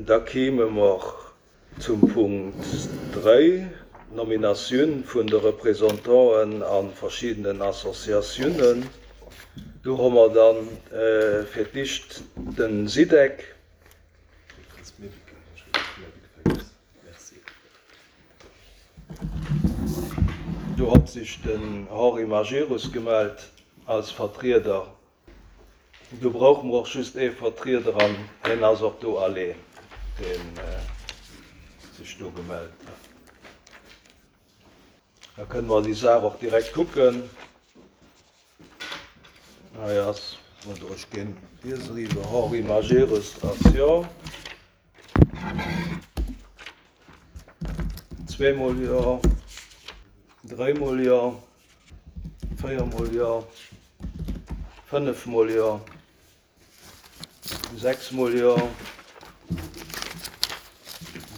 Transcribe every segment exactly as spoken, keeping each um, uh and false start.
Da kéime mer zum Punkt dräi, d'Nominatioun vun de Représentanten a verschiddenen Associatiounen. Do hu mer dann fir d'éischt de SIDEC. Do hott sech den Henri Majerus gemellt als Vertrieder. Do brauche mer och just ee Vertrieder an hien ass och do alleen, deen sech do gemellt huet. Da kënne mer déi Saach och direkt kucken. Hei ass, oder ech ginn iech eriwwer, Henri Majerus ass jo. Zweemol jo, dréimol jo, véiermol jo, fënnefmol jo, sechsmol jo,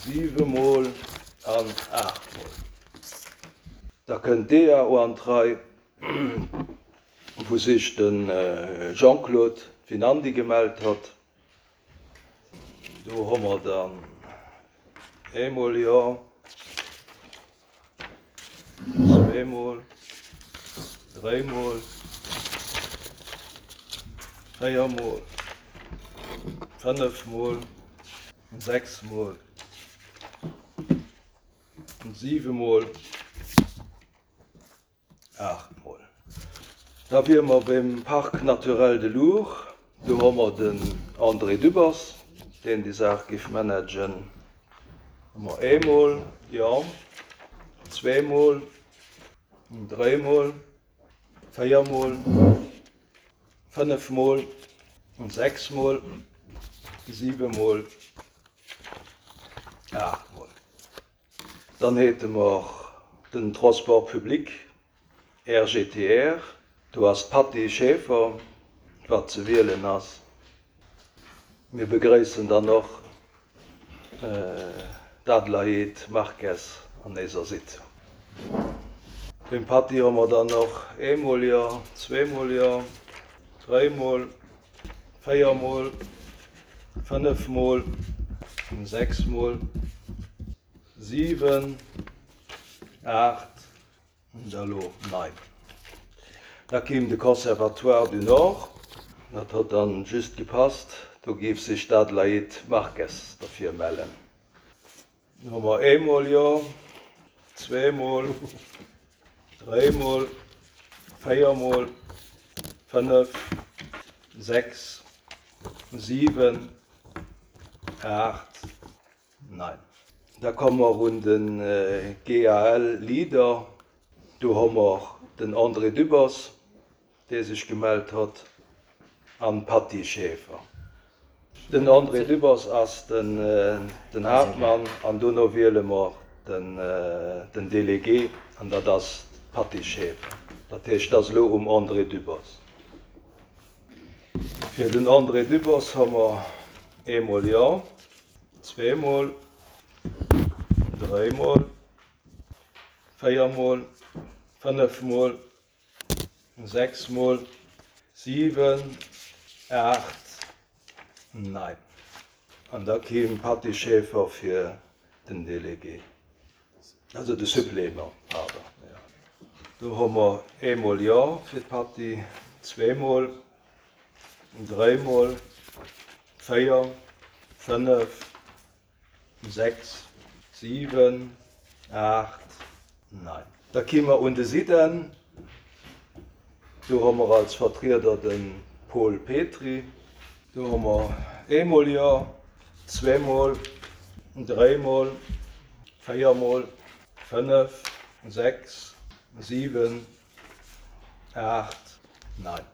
siwemol an aachtmol. Da kënnt d'DAO an d'Rei, wou sech de Jean-Claude Finandi gemellt hat. Do hu mer dann eemol jo, zweemol, dréimol, véiermol, fënnefmol, sechsmol, siwemol, aachtmol. Da wiere mer beim Parc naturel de l'Our. Do hu mer den André Dübbers, deen déi Saach géif managen. Hu mer eemol, jo, zweemol, dréimol, véiermol, fënnefmol, sechsmol, siwemol, aachtmol. Dann hätte mer den Transport public, R G T R. Do ass d'Patty Schaefer, wat ze wielen ass. Mir begréissen dann och d'Adelaide Marques an eiser Sitzung. Beim Patty hu mer dann och eemol jo, zweemol jo, dréimol, véiermol, fënnefmol, sechsmol, siwen, aacht, da lo nein. Da kéim de Conservatoire du Nord, dat huet dann just gepasst, do géif sech d'Adelaide Marques derfir mellen. Hu mer eemol jo, zweemol, dréimol, véiermol, fënnef, sechs, siwen, aacht, nein. Da komme mer un de G A L Leader. Do hu mer den André Dübbers, dee sech gemellt huet, an d'Patty Schaefer. Den André Dübbers ass den, den Haaptmann an dono wiele mer den, den Délégué an dat ass d'Patty Schaefer. Dat heescht, dat ass elo um André Dübbers. Fir den André Dübbers hu mer eemol jo, zweemol, dréimol, véiermol, fënnefmol, sechsmol, siwen, aacht, nein. An da kéim d'Patty Schaefer fir den Délégué. Also de Supplément, pardon. Ja. Do hu mer eemol jo fir d'Patty, zweemol, dréimol, véier, fënnef, sechs, siwen, aacht, nein. Da kéime mer un de SIDEN. Do hu mer als Vertrieder de Paul Petry. Do hu mer eemol jo, zweemol, dréimol, véiermol, fënnef, sechs, siwen, aacht, nein.